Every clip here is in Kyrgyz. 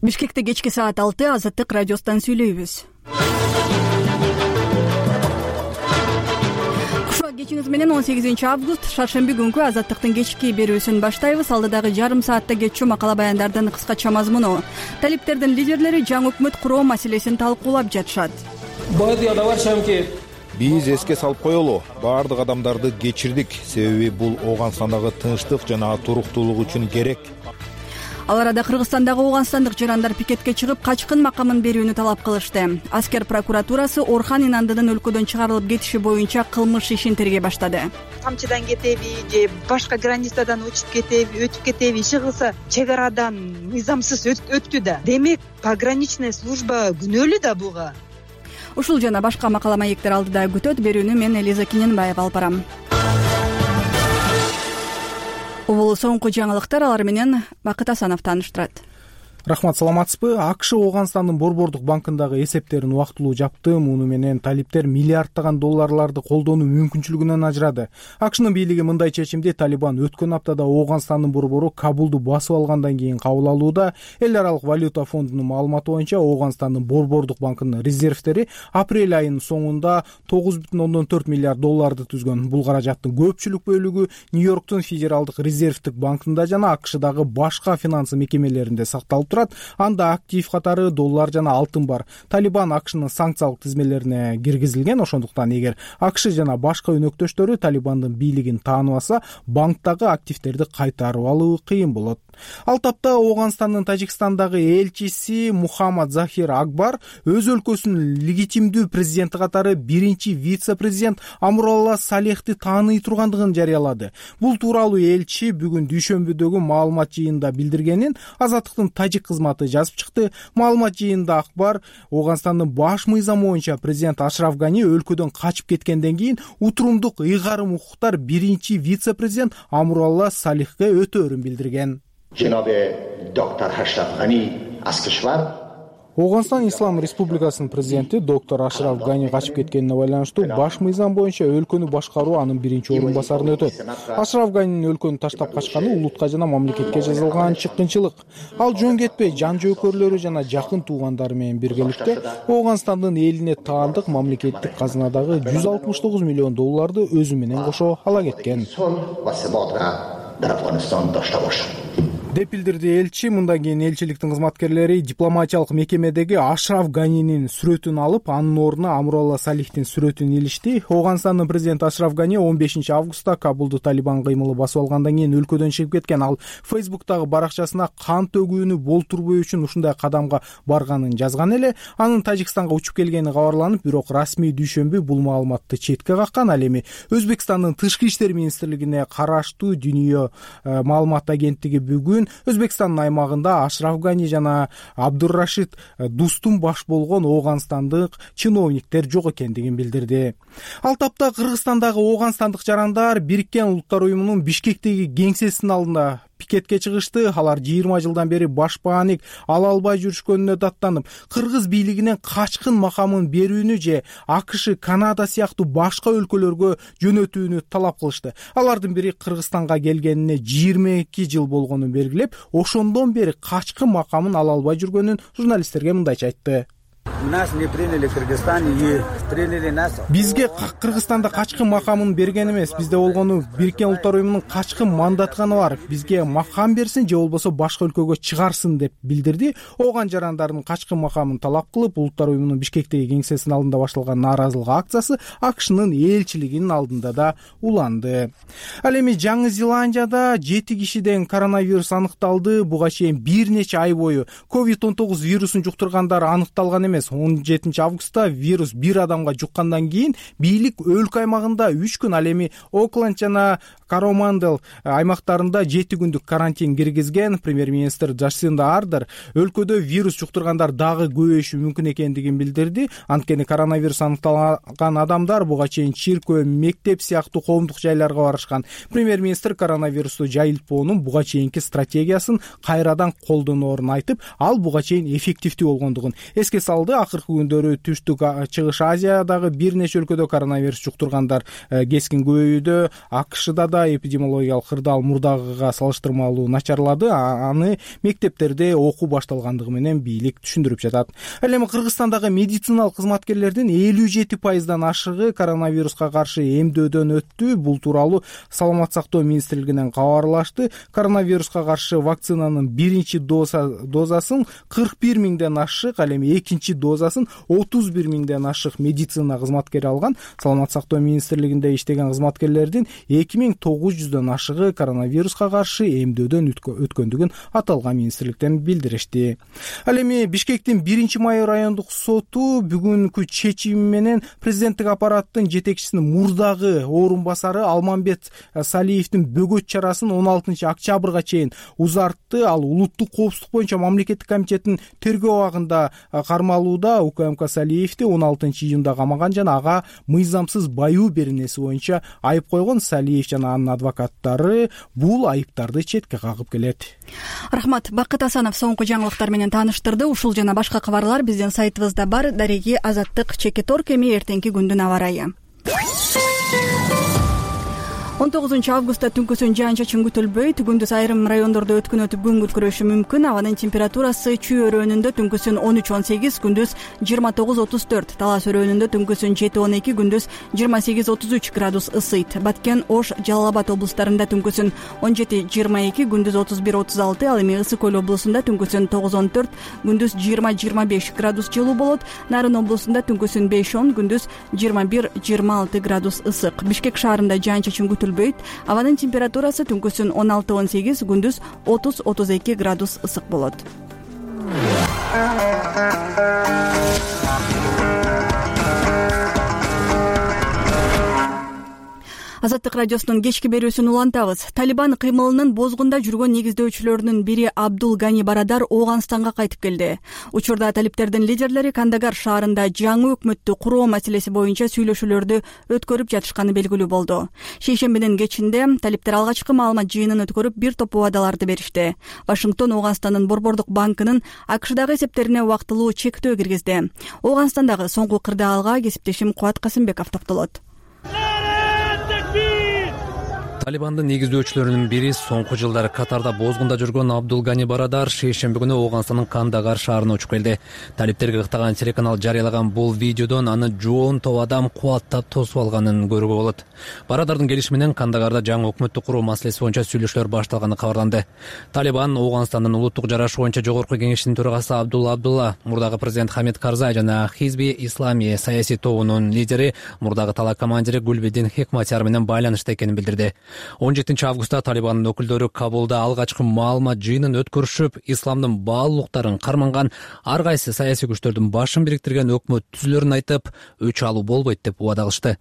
Бишкекте кечки саат 6 Азаттык радиосунан сүйлөйбүз. Кушак кечиңиз менен 18 август шаршемби күнкү Азаттыктын кечки берүүсүн баштайбыз. Алдыдагы жарым саатта кетчү макала баяндардын кыскача мазмуну. Талиптердин лидерлери жаңы өкмөт куруу маселесин талкуулап жатышат. Биз эске салып коелу, баардык адамдарды кечирдик, себеби бул Ооганстандагы тынчтык жана туруктуулук үчүн керек. Ал арада Кыргызстандагы ооганстандык жарандар пикетке чыгып, качкын макамын берүүнү талап кылышты. Аскер прокуратурасы Орхан Инандынын өлкөдөн чыгарылып кетиши боюнча кылмыш ишин тергей баштады. Камчыдан кетеби же башка границадан өтүп кетеби, иши кылса чек арадан мыйзамсыз өттү да. Демек, пограничная служба күнөөлүү да буга. Ушул жана башка макала маектер алдыда күтөт. Берүүнү мен Элиза Киненбаева алып барам. Бул соңку жаңылыктар, алар менен Бакыт Асанов тааныштырат. Рахмат, саламатсызбы? АКШ Ооганстандын Борбордук банкындагы эсептерин убактылуу жапты. Муну менен талиптер миллиарддаган долларларды колдонуу мүмкүнчүлүгүнөн ажырады. АКШнын бийлиги мындай чечимди Талибан өткөн аптада Ооганстандын борбору Кабулду басып алгандан кийин кабыл алууда. Эл аралык валюта фондунун маалыматы боюнча Ооганстандын Борбордук банкынын резервтери апрель айынын соңунда 9,4 миллиард долларды түзгөн. Бул каражаттын көпчүлүк бөлүгү Нью-Йорктун Федералдык резервтик банкында жана АКШдагы башка финансы мекемелеринде сакталып турат. Анда актив катары доллар жана алтын бар. Талибан АКШнын санкциялык тизмелерине киргизилген. Ошондуктан эгер АКШ жана башка өнөктөштөрү Талибандын бийлигин тааныбаса, банктагы активдерди кайтарып алуу кыйын болот. Ал тапта Ооганстандын Тажикстандагы элчиси Мухаммад Захир Акбар өз өлкөсүнүн легитимдүү президенти катары биринчи вице-президент Амуралла Салехти тааный тургандыгын жарыялады. Бул тууралуу элчи бүгүн дүйшөмбүдөгү маалымат жыйынында билдиргенин Азаттыктын тажик кызматы жазып чыкты. Маалымат жыйынында Акбар Ооганстандын баш мыйзамы боюнча президент Ашраф Гани өлкөдөн качып кеткенден кийин утурумдук ыйгарым укуктар биринчи вице-президент Амуралла Салехке өтөөрүн билдирген. доктор Ашраф Гани аз кишвар Ооганстан Ислам Республикасынын президенти доктор Ашраф Гани качып кеткенине байланыштуу баш мыйзам боюнча өлкөнү башкаруу анын биринчи орун басарына өтөт. Ашраф Ганинин өлкөнү таштап качканы улутка жана мамлекетке жазылган чыккынчылык. Ал жөн кетпей жан жөөкөрлөрү жана жакын туугандары менен биргеликте Ооганстандын элине таандык мамлекеттик казынадагы 169 миллион долларды өзү менен кошо ала кеткен деп билдирди элчи. Мындан кийин элчиликтин кызматкерлери дипломатиялык мекемедеги Ашраф Ганинин сүрөтүн алып, анын ордуна Амуралла Салихтин сүрөтүн илишти. Ооганстандын президенти Ашраф Гани 15 августта Кабулду Талибан кыймылы басып алгандан кийин өлкөдөн чыгып кеткен. Ал Фейсбуктагы баракчасына кан төгүүнү болтурбоо үчүн ушундай кадамга барганын жазган эле. Анын Тажикстанга учуп келгени кабарланып, бирок расмий дүйшөмбү бул маалыматты четке каккан. Ал эми Өзбекстандын тышкы иштер министрлигине караштуу Дүнүйө маалымат агенттиги бүгүн Өзбекстандын аймагында Ашраф Гани жана Абдурашид Дустун баш болгон ооганстандык чиновниктер жок экендигин билдирди. Ал тапта Кыргызстандагы ооганстандык жарандар Бириккен Улуттар уюмунун Бишкектеги кеңсесинин алдында пикетке чыгышты. Алар 20 жылдан бери башпааник ала албай жүрүшкөнүнө даттанып, кыргыз бийлигинен качкын макамын берүүнү же АКШ, Канада сыяктуу башка өлкөлөргө жөнөтүүнү талап кылышты. Алардын бири Кыргызстанга келгенине 22 жыл болгонун белгилеп, ошондон бери качкын макамын ала албай жүргөнүн журналисттерге мындайча айтты. Нас не приняли в Кыргызстане и приняли нас. Бизге Кыргызстанда качкын макамын берген эмес, бизде болгону Бириккен Улуттар уюмунун качкын мандатканы бар. Бизге макам берсин же болбосо башка өлкөгө чыгарсын деп билдирди. Ооган жарандардын качкын макамын талап кылып, Улуттар уюмунун Бишкектеги кеңсесинин алдында башталган нааразылык акциясы АКШнын элчилигинин алдында да уланды. Ал эми Жаңы Зеландияда 7 кишиден коронавирус аныкталды. Буга чейин бир нече ай бою COVID-19 вирусун жуктургандар аныкталган эмес. 17 августта вирус бир адамга жуккандан кийин бийлик өлкө аймагында 3 күн, ал эми Окленд жана Коромандел аймактарында 7 күндүк карантин киргизген. Премьер-министр Джасинда Ардер өлкөдө вирус жуктургандар дагы көбөйүшү мүмкүн экендигин билдирди. Анткени коронавирус аныкталган адамдар буга чейин чиркөө, мектеп сыяктуу коомдук жайларга барышкан. Премьер-министр коронавирусту жайылтпоонун буга чейинки стратегиясын кайрадан колдоноорун айтып, ал буга чейин эффективдүү болгондугун эске салды. Акыркы күндөрү Түштүк Чыгыш Азиядагы бир нече өлкөдө коронавирус жуктургандар кескин көбөйүүдө. АКШда да учурда эпидемиологиялык кырдаал мурдагыга салыштырмалуу начарлады, аны мектептерде окуу башталгандыгы менен бийлик түшүндүрүп жатат. Ал эми Кыргызстандагы медициналык кызматкерлердин 57% ашыгы коронавируска каршы эмдөөдөн өттү. Бул тууралуу Саламаттык сактоо министрлигинен кабарлашты. Коронавируска каршы вакцинанын биринчи дозасын 41 миңден ашык, ал эми экинчи дозасын 31 миңден ашык медицина кызматкери алган. Саламаттык сактоо министрлигинде иштеген кызматкерлердин 2900дөн ашыгы коронавируска каршы эмдөөдөн өткөндүгүн аталган министрликтен билдиришти. Ал эми Бишкектин 1-Май райондук соту бүгүнкү чечими менен президенттик аппараттын жетекчисинин мурдагы орун басары Алмамбет Салиевдин бөгөт чарасын 16-октябрга чейин узартты. Ал улуттук коопсуздук боюнча мамлекеттик комитеттин тергөө абагында кармалууда. УКМК Салиевди 16-июнда камаган жана ага мыйзамсыз баюу беренеси боюнча айып койгон. Салиев жана анын адвокаттары бул айыптарды четке кагып келет. Рахмат. Бакыт Асанов соңку жаңылыктар менен тааныштырды. Ушул жана башка кабарлар биздин сайтыбызда бар. Дареги Азаттык Чекиторг. Эми эртеңки күндүн аба ырайы. 19-августта түнкүсүн жаан-чачын күтүлбөйт. Күндүз айрым райондордо өткүнөтүп күн күркүрөшү мүмкүн. Абанын температурасы Чүй өрөөнүндө түнкүсүн 13-18, күндүз 29-34, Талас өрөөнүндө түнкүсүн 7-12, күндүз 28-33 градус ысыйт. Баткен, Ош, Жалал Абад облустарында түнкүсүн 17-22, күндүз 31-36, ал эми Ысык Көл облусунда түнкүсүн 9-14, күндүз 20-25 градус жылуу болот. Нарын облусунда түнкүсүн 5-10, күндүз 21-26 градус ысык. Бишкек шаарында жаан-чачын күтүлбөйт. Абанын температурасы түнкүсүн 16-18, күндүз 30-32 градус ысык болот. Азаттык радиосунун кечки берүүсүн улантабыз. Талибан кыймылынын бозгунда жүргөн негиздөөчүлөрүнүн бири Абдул Гани Барадар Ооганстанга кайтып келди. Учурда талиптердин лидерлери Кандагар шаарында жаңы өкмөттү куруу маселеси боюнча сүйлөшүүлөрдү өткөрүп жатышканы белгилүү болду. Шейшембинин кечинде талиптер алгачкы маалымат жыйынын өткөрүп бир топ убадаларды беришти. Вашингтон Ооганстандын Борбордук банкынын АКШдагы эсептерине убактылуу чектөө киргизди. Ооганстандагы соңку кырдаалга кесиптешим Кубат Касымбеков токтолот. Талибандын негиздөөчүлөрүнүн бири соңку жылдары Катарда бозгунда жүргөн Абдул Гани Барадар шейшемби күнү Ооганстандын Кандагар шаарына учуп келди. Талиптерге ыктаган телеканал жарыялаган бул видеодон аны жоон топ адам кубаттап тосуп алганын көрүүгө болот. Барадардын келиши менен Кандагарда жаңы өкмөттү куруу маселеси боюнча сүйлөшүүлөр башталганы кабарланды. Талибан Ооганстандын улуттук жарашы боюнча жогорку кеңешинин төрагасы Абдулла, мурдагы президент Хамид Карзай жана Хизби Ислами саясий тобунун лидери, мурдагы талаа командири Гулбедин Хекматияр менен байланышта экенин билдирди. 17-августта Талибандын өкүлдөрү Кабулда алгачкы маалымат жыйынын өткөрүшүп, исламдын баалуулуктарын карманган ар кайсы саясий күчтөрдүн башын бириктирген өкмөт түзүлөрүн айтып, өч алуу болбойт деп убада кылышты.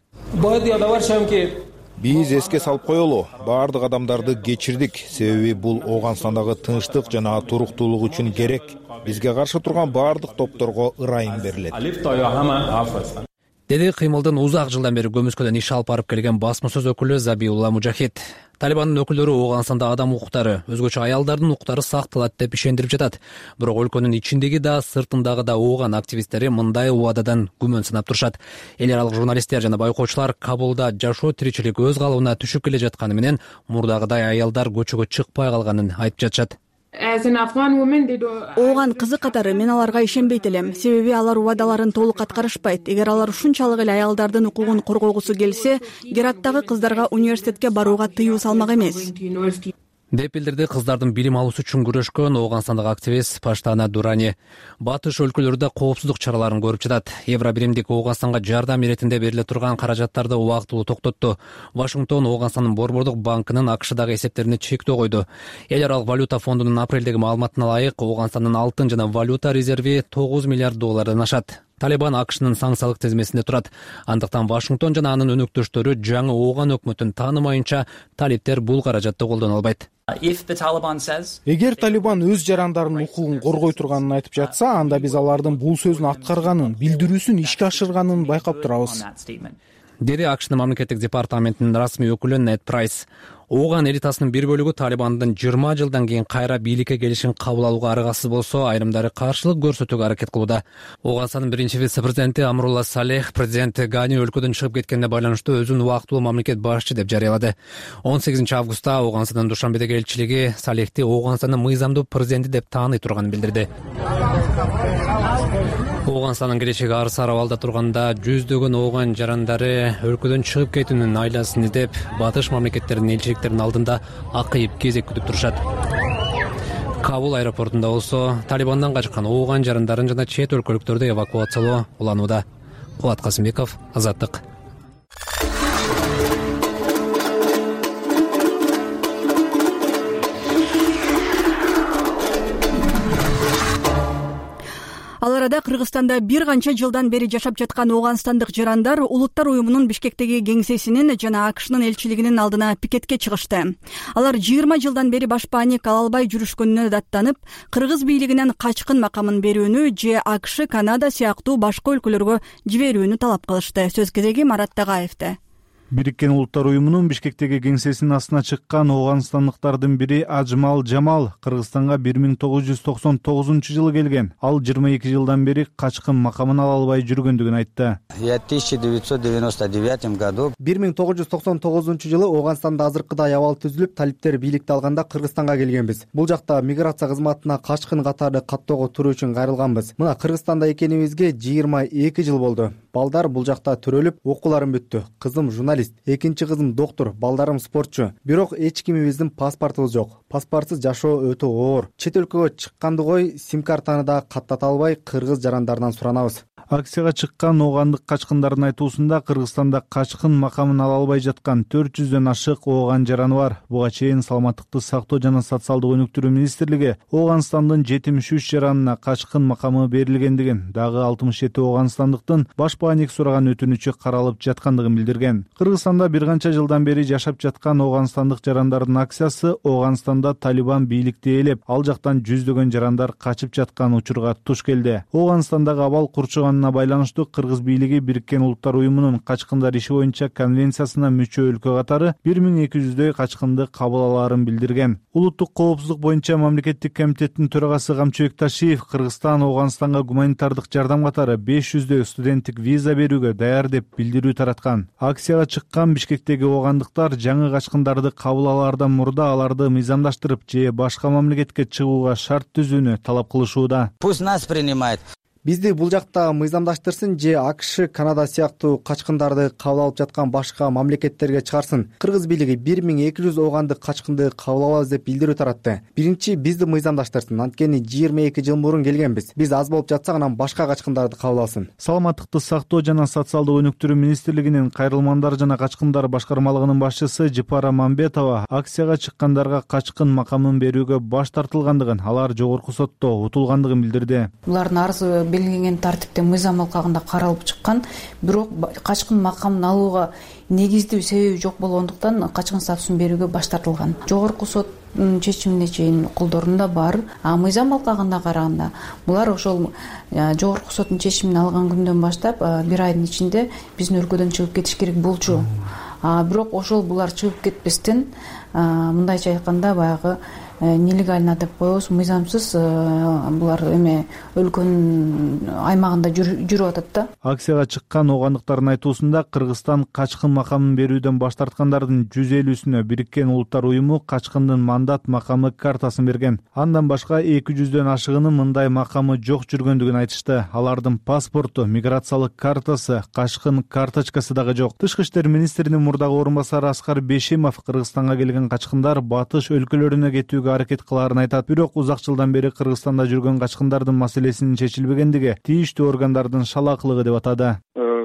Биз эске салып коелу, баардык адамдарды кечирдик, себеби бул Ооганстандагы тынчтык жана туруктуулук үчүн керек. Бизге каршы турган баардык топторго ырайым берилет. Деди кыймылдын узак жылдан бери көмүскөдөн иш алып барып келген басма сөз өкүлү Забиулла Мужахид. Талибандын өкүлдөрү Ооганстанда адам укуктары, өзгөчө аялдардын укуктары сакталат деп ишендирип жатат. Бирок өлкөнүн ичиндеги да, сыртындагы да ооган активисттери мындай убададан күмөн сынап турушат. Эл аралык журналисттер жана байкоочулар Кабулда жашоо тиричилик өз калыбына түшүп келе жатканы менен мурдагыдай аялдар көчөгө чыкпай калганын айтып жатышат. Ооган кызы катары мен аларга ишенбейт элем, себеби алар убадаларын толук аткарышпайт. Эгер алар ушунчалык эле аялдардын укугун коргогусу келсе, Гераттагы кыздарга университетке барууга тыюу салмак эмес деп билдирди кыздардын билим алуусу үчүн күрөшкөн Ооганстандагы активист Паштана Дурани. Батыш өлкөлөрдө коопсуздук чараларын көрүп жатат. Евробиримдик Ооганстанга жардам иретинде бериле турган каражаттарды убактылуу токтотту. Вашингтон Ооганстандын Борбордук банкынын АКШдагы эсептерине чектөө койду. Эл аралык валюта фондунун апрелдеги маалыматына ылайык Ооганстандын алтын жана валюта резерви $9 миллиард ашат. Талибан АКШнын санкциялык тизмесинде турат. Андыктан Вашингтон жана анын өнөктөштөрү жаңы ооган өкмөтүн таанымайынча талиптер бул каражатты колдоно албайт. Эгер Талибан өз жарандарынын укугун коргой турганын айтып жатса, анда биз алардын бул сөзүн аткарганын, билдирүүсүн ишке ашырганын байкап турабыз. Деди АКШнын мамлекеттик департаментинин расмий өкүлү Нед Прайс. Ооган элитасынын бир бөлүгү Талибандын 20 жылдан кийин кайра бийликке келишин кабыл алууга аргасыз болсо, айрымдары каршылык көрсөтүүгө аракет кылууда. Ооганстандын биринчи вице-президенти Амрулла Салех президент Гани өлкөдөн чыгып кеткенине байланыштуу өзүн убактылуу мамлекет башчы деп жарыялады. 18 августта Ооганстандын Душанбедеги элчилиги Салехти Ооганстандын мыйзамдуу президенти деп тааный турганын билдирди. Ооганстандын келечеги арсар абалда турганда жүздөгөн ооган жарандары өлкөдөн чыгып кетүүнүн айласын издеп, батыш мамлекеттеринин элчиликтеринин алдында акыйып кезек күтүп турушат. Кабул аэропортунда болсо Талибандан качкан ооган жарандарын жана чет өлкөлүктөрдү эвакуациялоо уланууда. Кубат Касымбеков, Азаттык. Ал арада Кыргызстанда бир канча жылдан бери жашап жаткан ооганстандык жарандар Улуттар уюмунун Бишкектеги кеңсесинин жана АКШнын элчилигинин алдына пикетке чыгышты. Алар 20 жылдан бери баш бааник ала албай жүрүшкөнүнө даттанып, кыргыз бийлигинен качкын макамын берүүнү же АКШ, Канада сыяктуу башка өлкөлөргө жиберүүнү талап кылышты. Сөз кезеги Марат Тагаевде. Бириккен Улуттар уюмунун Бишкектеги кеңсесинин астына чыккан ооганстандыктардын бири Ажмал Жамал Кыргызстанга 1999 жылы келген. Ал 22 жылдан бери качкын макамын ала албай жүргөндүгүн айтты. Я в 1999 году 1999 жылы Ооганстанда азыркыдай абал түзүлүп, талиптер бийликти алганда Кыргызстанга келгенбиз. Бул жакта миграция кызматына качкын катары каттоого туруу үчүн кайрылганбыз. Мына Кыргызстанда экенибизге 22 жыл болду. Балдар бул жакта төрөлүп, окууларым бүттү. Кызым журналист, экинчи кызым доктор, балдарым спортчу. Бирок эч кимибиздин паспортубуз жок. Паспортсуз жашоо өтө оор. Чет өлкөгө чыкканды кой, сим-картаны да каттата албай кыргыз жарандарынан суранабыз. Акцияга чыккан оогандык качкындардын айтуусунда Кыргызстанда качкын макамын ала албай жаткан 400дөн ашык ооган жараны бар. Буга чейин Саламаттыкты сактоо жана социалдык өнүктүрүү министрлиги Ооганстандын 73 жаранына качкын макамы берилгендигин, дагы 67 ооганстандыктын баш бааник сураган өтүнүчү каралып жаткандыгын билдирген. Кыргызстанда бир канча жылдан бери жашап жаткан ооганстандык жарандардын акциясы Ооганстанда Талибан бийликти ээлеп, ал жактан жүздөгөн жарандар качып жаткан учурга туш келди. Ооганстандагы абал курчуган байланыштуу кыргыз бийлиги Бириккен Улуттар уюмунун качкындар иши боюнча конвенциясына мүчө өлкө катары 1200дөй качкынды кабыл алаарын билдирген. Улуттук коопсуздук боюнча мамлекеттик комитеттин төрагасы Камчыбек Ташиев Кыргызстан Ооганстанга гуманитардык жардам катары 500дөй студенттик виза берүүгө даяр деп билдирүү тараткан. Акцияга чыккан Бишкектеги оогандыктар жаңы качкындарды кабыл алаардан мурда аларды мыйзамдаштырып же башка мамлекетке чыгууга шарт түзүүнү талап кылышууда. Пусть нас принимает. Бизди бул жакта мыйзамдаштырсын же АКШ, Канада сыяктуу качкындарды кабыл алып жаткан башка мамлекеттерге чыгарсын. Кыргыз бийлиги 1200 оогандык качкынды кабыл алабыз деп билдирүү таратты. Биринчи бизди мыйзамдаштырсын, анткени 22 жыл мурун келгенбиз. Биз аз болуп жатсак, анан башка качкындарды кабыл алсын. Саламаттыкты сактоо жана социалдык өнүктүрүү министрлигинин кайрылмандар жана качкындар башкармалыгынын башчысы Жипара Мамбетова акцияга чыккандарга качкын макамын берүүгө баш тартылгандыгын, алар жогорку сотто утулгандыгын билдирди. Булардын арызы белгиленген тартипте мыйзам алкагында каралып чыккан, бирок качкын макамын алууга негиздүү себеби жок болгондуктан качкын статусун берүүгө баш тартылган. Жогорку соттун чечимине чейин колдорунда бар. Мыйзам алкагында караганда булар ошол жогорку соттун чечимин алган күндөн баштап бир айдын ичинде биздин өлкөдөн чыгып кетиш керек болчу. Бирок ошол булар чыгып кетпестен, мындайча айтканда баягы нелегально деп коебуз, мыйзамсыз булар өлкөнүн аймагында жүрүп атат да. Акцияга чыккан оогандыктардын айтуусунда Кыргызстан качкын макамын берүүдөн баш тарткандардын 150-сүнө Бириккен Улуттар уюму качкындын мандат макамы картасын берген. Андан башка 200дөн ашыгынын мындай макамы жок жүргөндүгүн айтышты. Алардын паспорту, миграциялык картасы, качкын карточкасы дагы жок. Тышкы иштер министринин мурдагы орун басары Аскар Бешимов Кыргызстанга келген качкындар батыш өлкөлөрүнө кетүүгө аракет кылаарын айтат. Бирок узак жылдан бери Кыргызстанда жүргөн качкындардын маселесинин чечилбегендиги тийиштүү органдардын шалаакылыгы деп атады.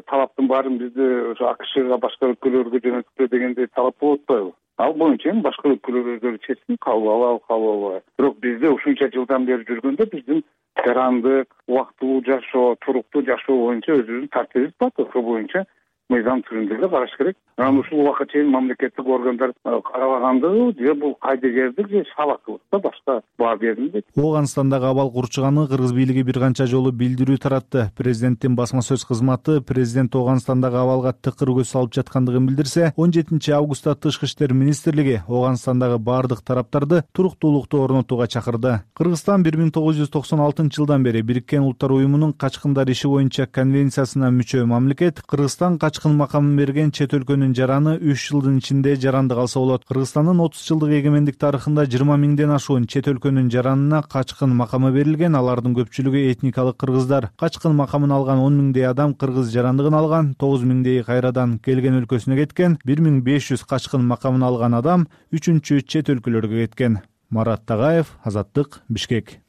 Талаптын баарын бизде ошо АКШга башка өлкөлөргө жөнөткүлө дегендей талап болуп атпайбы? Ал боюнча башка өлкөлөр өздөрү чечсин, кабыл алабы. Бирок бизде ушунча жылдан бери жүргөндө биздин жарандык, убактылуу жашоо, туруктуу жашоо боюнча өзүбүздүн тартибибиз бар. Ошол боюнча мыйзам түрүндө эле караш керек. Анан ушул убакка чейин мамлекеттик органдар карабагандыгы же бул кайдыгердик же сабактылык да башка баа берилбейт. Ооганстандагы абал курчуганы кыргыз бийлиги бир канча жолу билдирүү таратты. Президенттин басма сөз кызматы президент Ооганстандагы абалга тыкыр көз салып жаткандыгын билдирсе, 17 августта Тышкы иштер министрлиги Ооганстандагы бардык тараптарды туруктуулукту орнотууга чакырды. Кыргызстан 1996 жылдан бери Бириккен Улуттар уюмунун качкындар иши боюнча конвенциясына мүчө мамлекет. Кыргызстан качкын макамын берген чет өлкөнүн жараны 3 жылдын ичинде жаранды калса болот. Кыргызстандын 30 жылдык эгемендик тарыхында 20 миңден ашуун чет өлкөнүн жаранына качкын макамы берилген. Алардын көпчүлүгү этникалык кыргыздар. Качкын макамын алган 10 миңдей адам кыргыз жарандыгын алган, 9 миңдей кайрадан келген өлкөсүнө кеткен, 1500 качкын макамын алган адам үчүнчү чет өлкөлөргө кеткен. Марат Тагаев, Азаттык, Бишкек.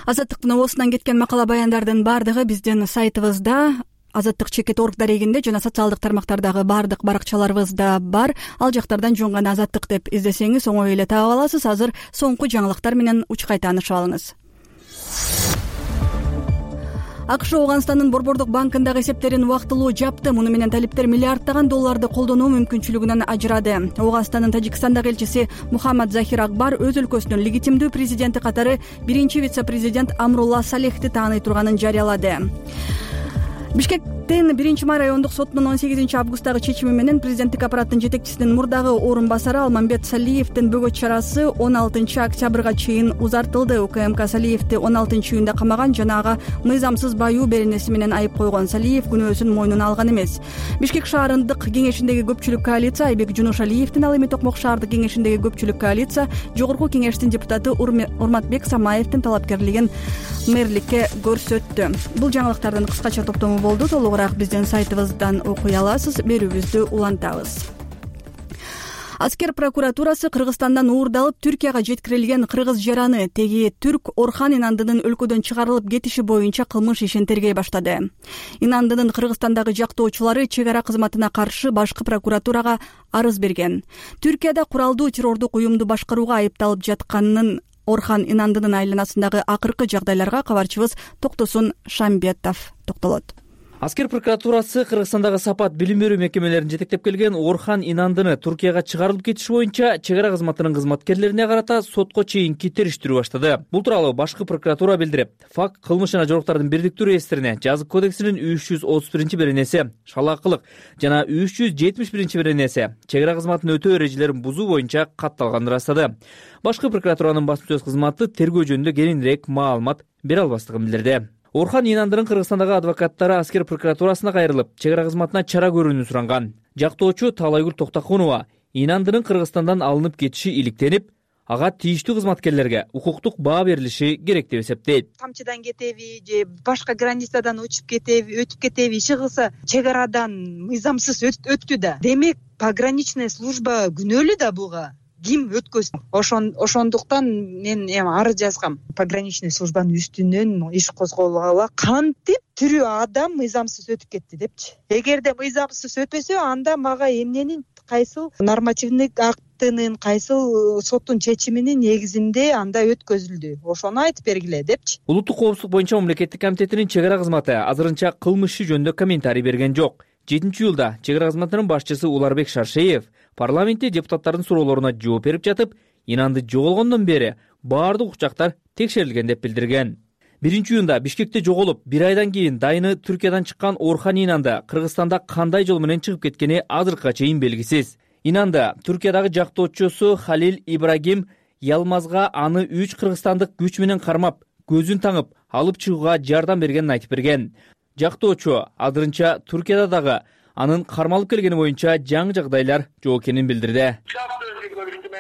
Азаттыктын оосунан кеткен макала баяндардын бардыгы биздин сайтыбызда, Азаттык.org дарегинде жана социалдык тармактардагы бардык баракчаларыбызда бар. Ал жактардан жөн гана Азаттык деп издесеңиз оңой эле таап аласыз. Азыр соңку жаңылыктар менен учкай таанышып алыңыз. АКШ Ооганстандын Борбордук банкындагы эсептерин убактылуу жапты. Муну менен талиптер миллиарддаган долларды колдонуу мүмкүнчүлүгүнөн ажырады. Ооганстандын Тажикстандагы элчиси Мухаммад Захир Акбар өз өлкөсүнүн легитимдүү президенти катары биринчи вице-президент Амрулла Салехти тааный турганын жарыялады. Бишкектин 1 райондук сотунун 18 августдагы чечими менен президенттик аппараттын жетекчисинин мурдагы орун басары Алмамбет Салиевдин бөгөт чарасы 16 октябрга чейин узартылды. УКМК Салиевди 16 июнда камаган жана ага мыйзамсыз баюу беренеси менен айып койгон. Салиев күнөөсүн мойнуна алган эмес. Бишкек шаарындык кеңешиндеги көпчүлүк коалиция Айбек Жунушалиевдин, ал эми Токмок шаардык кеңешиндеги көпчүлүк коалиция Жогорку кеңештин депутаты Урматбек Самаевдин талапкерлигин мэрликке көрсөттү. Бул жаңылыктардын кыскача топтому болду. Толугураак биздин сайтыбыздан окуй аласыз. Берүүбүздү улантабыз. Аскер прокуратурасы Кыргызстандан уурдалып Түркияга жеткирилген кыргыз жараны теги түрк Орхан Инандынын өлкөдөн чыгарылып кетиши боюнча кылмыш ишин тергей баштады. Инандынын Кыргызстандагы жактоочулары чек ара кызматына каршы башкы прокуратурага арыз берген. Түркияда куралдуу террордук уюмду башкарууга айыпталып жатканын Орхан Инандынын айланасындагы акыркы жагдайларга кабарчыбыз Токтосун Шамбетов токтолот. Аскер прокуратурасы Кыргызстандагы сапат билим берүү мекемелерин жетектеп келген Орхан Инандыны Туркияга чыгарылып кетиши боюнча чек ара кызматынын кызматкерлерине карата сотко чейинки териштирүү баштады. Бул тууралуу башкы прокуратура билдирип, факт кылмыш жана жоруктардын бирдиктүү реестрине жазык кодексинин 331 беренеси шалаакылык жана 371 беренеси чек ара кызматын өтөө эрежелерин бузуу боюнча катталганын ырастады. Башкы прокуратуранын басма сөз кызматы тергөө жөнүндө кененирээк маалымат бере албастыгын билдирди. Орхан Инандынын Кыргызстандагы адвокаттары Аскер прокуратурасына кайрылып, чек ара кызматына чара көрүүнү суранган. Жактоочу Талайгүл Токтокунова Инандынын Кыргызстандан алынып кетиши иликтенип, ага тийиштүү кызматкерлерге укуктук баа берилиши керек деп эсептейт. Камчыдан кетеби же башка границадан өтүп кетеби иши кылса чек арадан мыйзамсыз өттү да. Демек пограничная служба күнөөлүү да буга. Ким өткөзсүн? Ошондуктан мен арыз жазгам. Пограничный службанын үстүнөн иш козголгула кантип тирүү адам мыйзамсыз өтүп кетти депчи. Эгерде мыйзамсыз өтпөсө, анда мага эмненин кайсыл нормативдик актынын, кайсыл соттун чечиминин негизинде анда өткөзүлдү. Ошону айтып бергиле депчи. Улуттук коопсуздук боюнча мамлекеттик комитетинин чек ара кызматы азырынча кылмыш иши жөнүндө комментарий берген жок. 7-июлда чек ара кызматынын башчысы Уларбек Шаршеев парламентте депутаттардын суроолоруна жооп берип жатып, Инанды жоголгондон бери баардык учактар текшерилген деп билдирген. 1-июнда Бишкекте жоголуп, 1 айдан кийин дайыны Түркиядан чыккан Орхан Инанды Кыргызстанда кандай жол менен чыгып кеткени азыркыга чейин белгисиз. Инанды Түркиядагы жактоочусу Халил Ибрагим Ялмазга аны 3 кыргызстандык күч менен кармап, көзүн таңып, алып чыгууга жардам бергенин айтып берген. Жактоочу азырынча Түркияда дагы анын кармалып келгени боюнча жаңы жагдайлар жок экенин билдирди.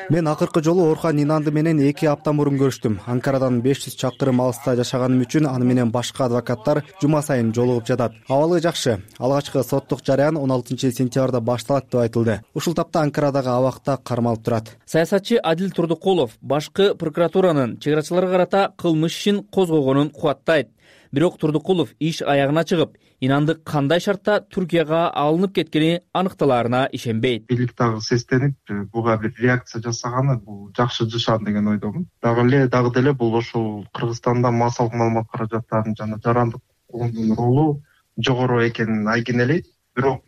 Мен акыркы жолу Орхан Инанды менен 2 апта мурун көрүштүм. Анкарадан 500 чакырым алыста жашаганым үчүн аны менен башка адвокаттар жума сайын жолугуп жатат. Абалы жакшы. Алгачкы соттук жарыян 16 сентябрда башталат деп айтылды. Ушул тапта Анкарадагы абакта кармалып турат. Саясатчы Адил Турдукулов башкы прокуратуранын чек арачыларга карата кылмыш ишин козгогонун кубаттайт. Бирок Турдукулов иш аягына чыгып, Инанды кандай шартта Түркияга алынып кеткени аныкталаарына ишенбейт. Бийлик дагы сестенип, буга бир реакция жасаганы бул жакшы жашан деген ойдомун. Дагы деле бул ошол Кыргызстанда массалык маалымат каражаттарын жана жарандык колдонуу ролу жогору экенин айкинелейт. бирок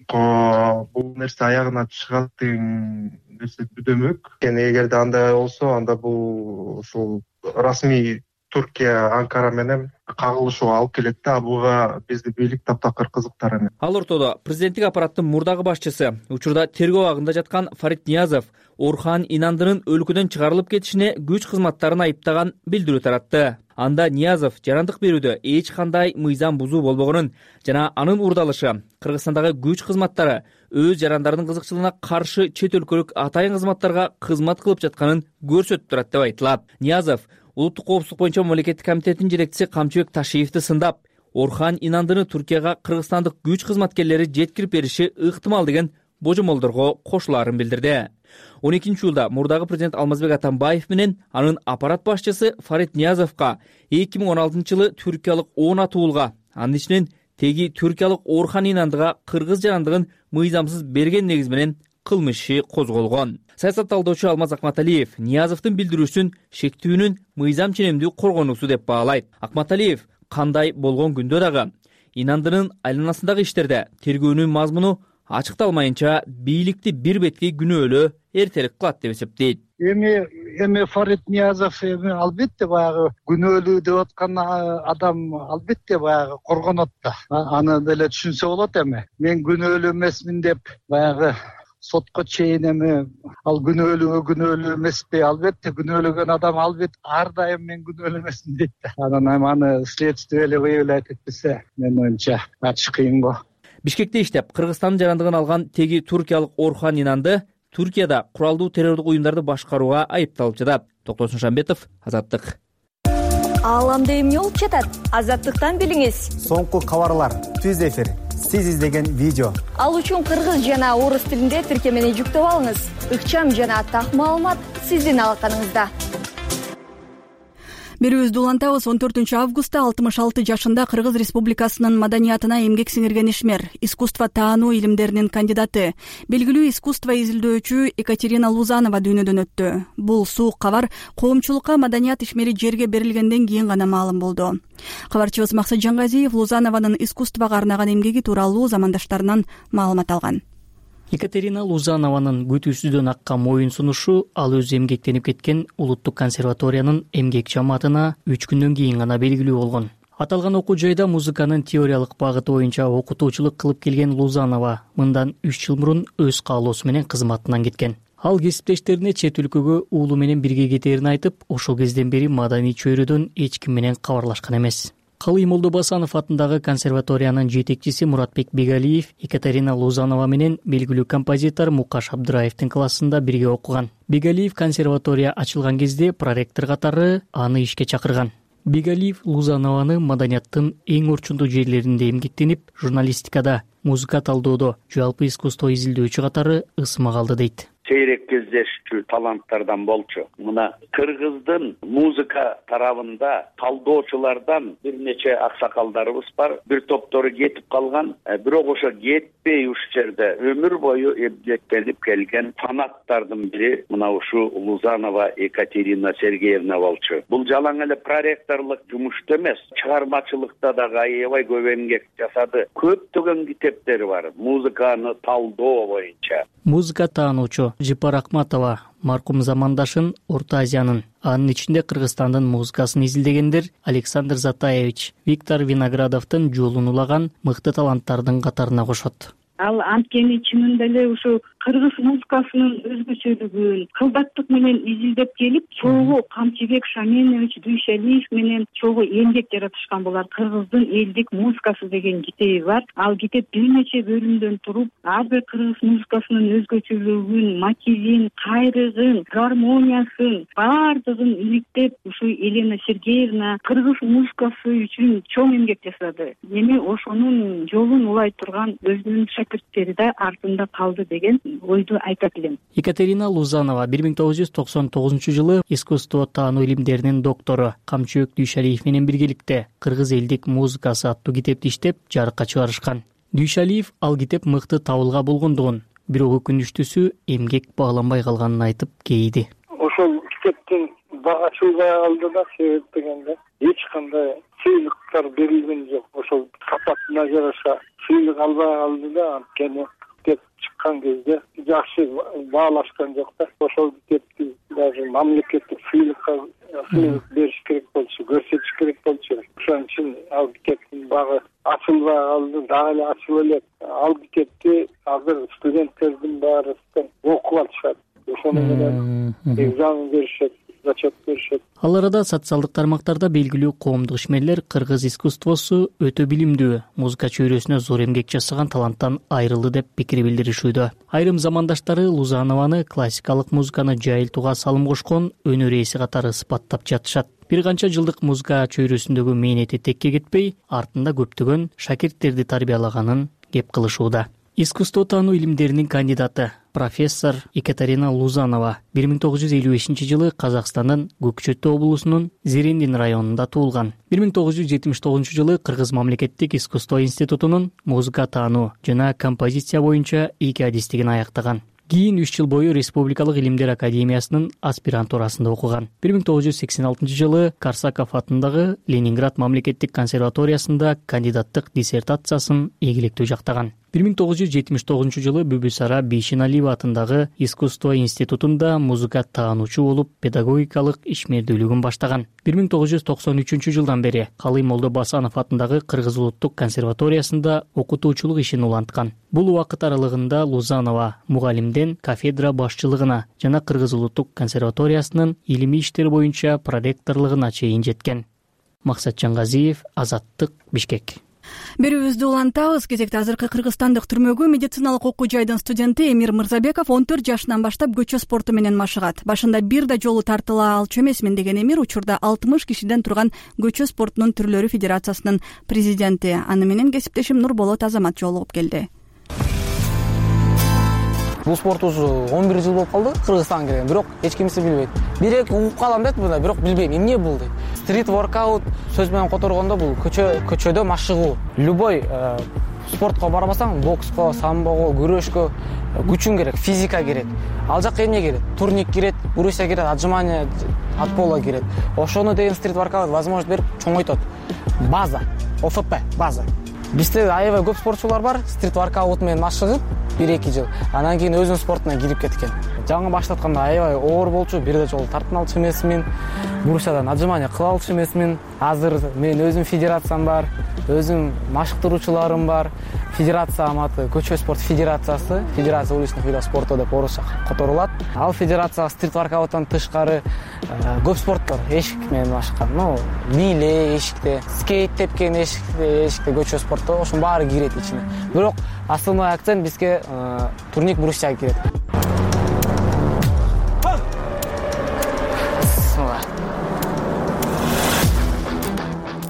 бул нерсе аягына чыгат деген нерсе күтөмөк. Эгерде андай болсо, анда бул ушул расмий Туркия Анкара менен кагылышууга алып келет да, буга биздин бийлик таптакыр кызыктар эмес. Ал ортодо президенттик аппараттын мурдагы башчысы, учурда тергөө абагында жаткан Фарид Ниязов Орхан Инандынын өлкөдөн чыгарылып кетишине күч кызматтарын айыптаган билдирүү таратты. Анда Ниязов жарандык берүүдө эч кандай мыйзам бузуу болбогонун жана анын урдалышы Кыргызстандагы күч кызматтары өз жарандарынын кызыкчылыгына каршы чет өлкөлүк атайын кызматтарга кызмат кылып жатканын көрсөтүп турат деп айтылат. Ниязов Улуттук коопсуздук боюнча мамлекеттик комитетинин жетекчиси Камчыбек Ташиевди сындап, Орхан Инандыны Түркияга кыргызстандык күч кызматкерлери жеткирип бериши ыктымал деген божомолдорго кошулаарын билдирди. 12-июлда мурдагы президент Алмазбек Атамбаев менен анын аппарат башчысы Фарид Ниязовго 2016-жылы түркиялык 10 атуулга, анын ичинен теги түркиялык Орхан Инандыга кыргыз жарандыгын мыйзамсыз берген негиз менен кылмыш иши козголгон. Саясат талдоочу Алмаз Акматалиев Ниязовдун билдирүүсүн шектүүнүн мыйзам ченемдүү коргонуусу деп баалайт. Акматалиев кандай болгон күндө дагы Инандынын айланасындагы иштерде тергөөнүн мазмуну ачыкталмайынча бийликти бир беткей күнөөлөө эртерээк кылат деп эсептейт. Эми Фарид Ниязов албетте баягы күнөөлүү деп аткан адам албетте баягы коргонот да. Аны деле түшүнсө болот эми. Мен күнөөлүү эмесмин деп баягы сотко чейин эми ал күнөөлүү эмеспи? Албетте күнөөлөгөн адам албетте ар дайым мен күнөөлүү эмесмин дейт да. Анан аны следствие эле выявлять этпесе, менин оюмча ачык кыйын го. Бишкекте иштеп, Кыргызстандын жарандыгын алган теги туркиялык Орхан Инанды Түркияда куралдуу террордук уюмдарды башкарууга айыпталып жатат. Токтосун Шамбетов, Азаттык. Ааламда эмне болуп жатат? Азаттыктан билиңиз. Соңку кабарлар, түз эфир, сиз издеген видео. Ал үчүн кыргыз жана орус тилинде тиркемени жүктөп алыңыз. Ыкчам жана так маалымат сиздин алаканыңызда. Берүүбүздү улантабыз. 14-августта 66 жашында Кыргыз Республикасынын маданиятына эмгек сиңирген ишмер, искусство таануу илимдеринин кандидаты, белгилүү искусство изилдөөчү Екатерина Лузанова дүйнөдөн өттү. Бул суук кабар коомчулукка маданият ишмери жерге берилгенден кийин гана маалым болду. Кабарчыбыз Максат Жангазиев Лузанованын искусствого арнаган эмгеги тууралуу замандаштарынан маалымат алган. Екатерина Лузанованын күтүүсүздөн аккан моюн сунушу ал өзү эмгектенип кеткен Улуттук консерваториянын эмгек жамаатына 3 күндөн кийин гана белгилүү болгон. Аталган окуу жайда музыканын теориялык багыты боюнча окутуучулук кылып келген Лузанова мындан 3 жыл мурун өз каалоосу менен кызматынан кеткен. Ал кесиптештерине чет өлкөгө уулу менен бирге кетээрин айтып, ошол кезден бери маданий чөйрөдөн эч ким менен кабарлашкан эмес. Калый Молдобасанов атындагы консерваториянын жетекчиси Муратбек Бегалиев Екатерина Лузанова менен белгилүү композитор Мукаш Абдыраевдин классында бирге окуган. Бегалиев консерватория ачылган кезде проректор катары аны ишке чакырган. Бегалиев Лузанованы маданияттын эң орчундуу жерлеринде эмгектенип, журналистикада, музыка талдоодо, жалпы искусство изилдөөчү катары ысмак алды дейт. Сейрек кездешчү таланттардан болчу. Мына Кыргыздын музыка тарабында талдоочулардан бир нече аксакалдарыбыз бар. Бир топтору кетип калган, бирок ошо кетпей ушул жерде өмүр бою эмгектенип келген фанаттардын бири мына ушу Лузанова Екатерина Сергеевна болчу. Бул жалаң эле проректорлук жумушта эмес, чыгармачылыкта дагы аябай көп эмгек жасады. Көптөгөн китептери бар музыканы талдоо боюнча. Музыка таануучу Жипар Акматова маркум замандашын Орто Азиянын, анын ичинде Кыргызстандын музыкасын изилдегендер Александр Затаевич, Виктор Виноградовдун жолун улаган мыкты таланттардын катарына кошот. Ал анткени чынында эле ушу кыргыз музыкасынын өзгөчөлүгүн кылдаттык менен изилдеп келип, чогуу Камчыбек Шаменович Дүйшалиев менен чогуу эмгек жаратышкан булар. Кыргыздын элдик музыкасы деген китеби бар. Ал китеп бир нече бөлүмдөн туруп, ар бир кыргыз музыкасынын өзгөчөлүгүн, мотивин, кайрыгын, гармониясын бардыгын иликтеп, ушу Елена Сергеевна кыргыз музыкасы үчүн чоң эмгек жасады. Эми ошонун жолун улай турган өзүнүн шакирттери да артында калды деген ойду айтат элем. Екатерина Лузанова 1999 искусство таануу илимдеринин доктору Камчыбек Дүйшалиев менен биргеликте Кыргыз элдик музыкасы аттуу китепти иштеп жарыкка чыгарышкан. Дүйшалиев ал китеп мыкты табылга болгондугун, бирок өкүнүчтүүсү эмгек бааланбай калганын айтып кейиди. Ошол китептин бага чыгбай калды да, себеп дегенде эч кандай сыйлыктар берилген жок. Ошол сапатына жараша сыйлык албай калды да, анткени китеп чыккан кезде жакшы баалашкан жок да. Ошол китепти даже мамлекеттик сыйлык бериш керек болчу, көрсөтүш керек болчу. Ошон үчүн ал китептин багы ачылбай калды, дагы эле ачыла элек. Ал китепти азыр студенттердин баарысынан окуп алышат. Ошону менен экзамен беришет, зачет беришет. Ал арада социалдык тармактарда белгилүү коомдук ишмерлер кыргыз искусствосу өтө билимдүү, музыка чөйрөсүнө зор эмгек жасаган таланттан айрылды деп пикир билдиришүүдө. Айрым замандаштары Лузанованы классикалык музыканы жайылтууга салым кошкон өнөр ээси катары сыпаттап жатышат. Бир канча жылдык музыка чөйрөсүндөгү мээнети текке кетпей, артында көптөгөн шакирттерди тарбиялаганын кеп кылышууда. Искусство таануу илимдеринин кандидаты профессор Екатерина Лузанова 1955-жылы Казакстандын Көкчөтү облусунун Зерендин районунда туулган. 1979-жылы Кыргыз мамлекеттик искусство институтунун музыка таануу жана композиция боюнча 2 адистигин аяктаган. Кийин 3 жыл бою Республикалык илимдер академиясынын аспирантурасында окуган. 1986-жылы Корсаков атындагы Ленинград мамлекеттик консерваториясында кандидаттык диссертациясын ийгиликтүү жактаган. 1979-жылы Бүбүсара Бейшеналиева атындагы искусство институтунда музыка таануучу болуп педагогикалык ишмердүүлүгүн баштаган. 1993-жылдан бери Калый Молдобасанов атындагы Кыргыз улуттук консерваториясында окутуучулук ишин уланткан. Бул убакыт аралыгында Лузанова мугалимден кафедра башчылыгына жана Кыргыз улуттук консерваториясынын илимий иштер боюнча проректорлугуна чейин жеткен. Максатжан Газиев, Азаттык, Бишкек. Берүүбүздү улантабыз. Кезекте азыркы кыргызстандык түрмөгү медициналык окуу жайдын студенти Эмир Мырзабеков 14 жашынан баштап көчө спорту менен машыгат. Башында бир да жолу тартыла алчу эмесмин деген Эмир учурда 60 кишиден турган көчө спортунун түрлөрү федерациясынын президенти. Аны менен кесиптешим Нурболот Азамат жолугуп келди. Бул спорт уже 11 жыл болуп калды Кыргызстанга келген, бирок эч кимиси билбейт. Бир-эки угуп калам дейт мында, бирок билбейм эмне бул дейт. Стрит воркаут сөз менен которгондо бул көчөдө машыгуу. Любой спортко барбасаң, бокско, самбого, күрөшкө күчүң керек, физика керек. Ал жакка эмне керек? Турник керек, урусия керек, отжимание, отполо керек. Ошону деген стрит воркаут возможность берип чоңойтот. База, ОФП, база. Бизде аябай көп спортчулар бар, стрит воркаут менен машыгып 1-2 жыл. Анан кийин өзүнүн спортуна кирип кеткен. Жаңы баштатканда аябай оор болчу, бир да жолу тартын алчу эмесмин. Бурусиядан отжимание кыла алчу эмесмин. Азыр мен өзүм федерациям бар, өзүм машыктыруучуларым бар. Федерация аты Көчө спорт федерациясы, федерация уличных видов спорта деп орусча которулат. Ал федерация стрит воркауттан тышкары көп спорт бар. Эшик менен машыккан, бийле эшикте, скейт тепкен эшикте көчө спорту, ошонун баары кирет ичине. Бирок основной акцент бизге турник брусьяга кирет.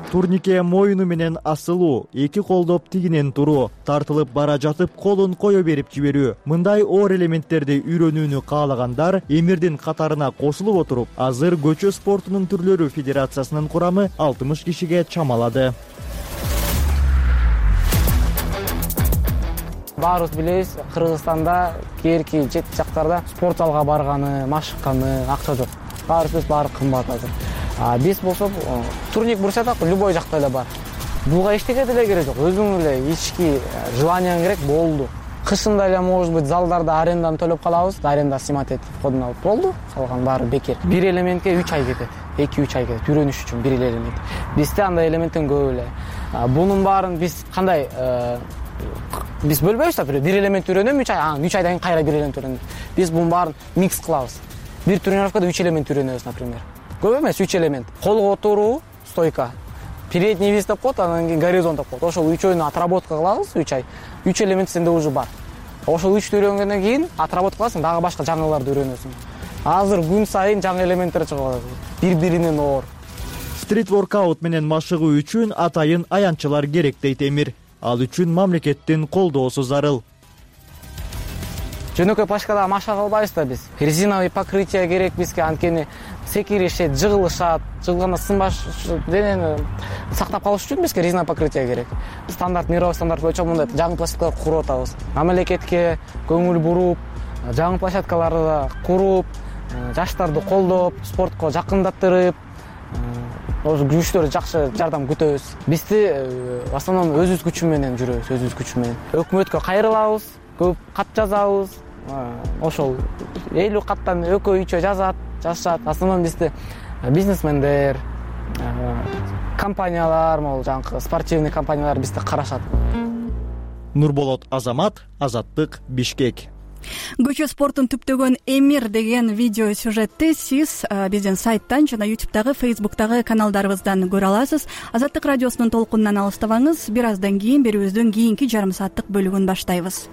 Турникке моюну менен асылуу, эки колдоп тигинен туруу, тартылып бара жатып колун кое берип жиберүү. Мындай оор элементтерди үйрөнүүнү каалагандар Эмирдин катарына кошулуп отуруп, азыр көчө спортунун түрлөрү федерациясынын курамы 60 кишиге чамалады. Баарыбыз билебиз, Кыргызстанда кээинки чет жактарда спорт залга барганы, машыкканы акча жок. Баарыбыз баары кымбат азыр. Биз болсок турник бурсада любой жакта эле бар. Буга эчтеке деле керек жок. Өзүң эле ички желанияң керек болду. Кышында эле может быть залдарда аренданы төлөп калабыз, аренда снимать этип кодун алып болду. Калган баары бекер. Бир элементке 3 ай кетет. 2-3 ай кетет. Үйрөнүш үчүн бир элемент. Бизде андай элементтен көп эле. Бунун баарын биз кандай биз бөлбөйбүз да, бир элемент үйрөнөм 3 ай, 3 айдан кийин кайра бир элемент үйрөнөм. Биз бунун баарын микс кылабыз. Бир тренировкада 3 элемент үйрөнөбүз, например. Көп эмес 3 элемент. Колго отуруу, стойка. Передний вис деп коет, анан кийин горизонт деп коет. Ошол 3-өйнү отработка кылабыз 3 ай. 3 элемент сенде уже бар. Ошол 3-тү үйрөнгөндөн кийин отработка кыласың, дагы башка жаңыларды үйрөнөсүң. Азыр күн сайын жаңы элементтер чыгып атат. Бири-биринен оор. Стрит воркаут менен машыгуу үчүн атайын аянтчылар керек дейт Эмир. Ал үчүн мамлекеттин колдоосу зарыл. Жөнөкөй площадкада машыга албайбыз да биз. Резиновый покрытие керек бизге, анткени секиришет, жыгылышат, жыгылганда сынбаш денени сактап калыш үчүн бизге резиновый покрытие керек. Стандарт, мировой стандарт боюнча мындай жаңы площадкалар куруп атабыз. Мамлекетке көңүл буруп, жаңы площадкаларды куруп, жаштарды колдоп, спортко жакындаттырып, ошо күчтөр жакшы жардам күтөбүз. Бизди в основном өзүбүз күчү менен жүрөбүз, өзүбүз күчү менен. Өкмөткө кайрылабыз, көп кат жазабыз. Ошол 50 каттан экөө үчөө жазышат. В основном бизди бизнесмендер, компаниялар, могул жанагы спортивный компаниялар бизди карашат. Нурболот Азамат, Азаттык, Бишкек. Көчө спортун түптөгөн Эмир деген видео сюжетти сиз биздин сайттан жана YouTube'дагы, Facebook'тагы каналдарыбыздан көрө аласыз. Азаттык радиосунун толкунунан алыстабаңыз. Бир аздан кийин берүүбүздүн кийинки жарым сааттык бөлүгүн баштайбыз.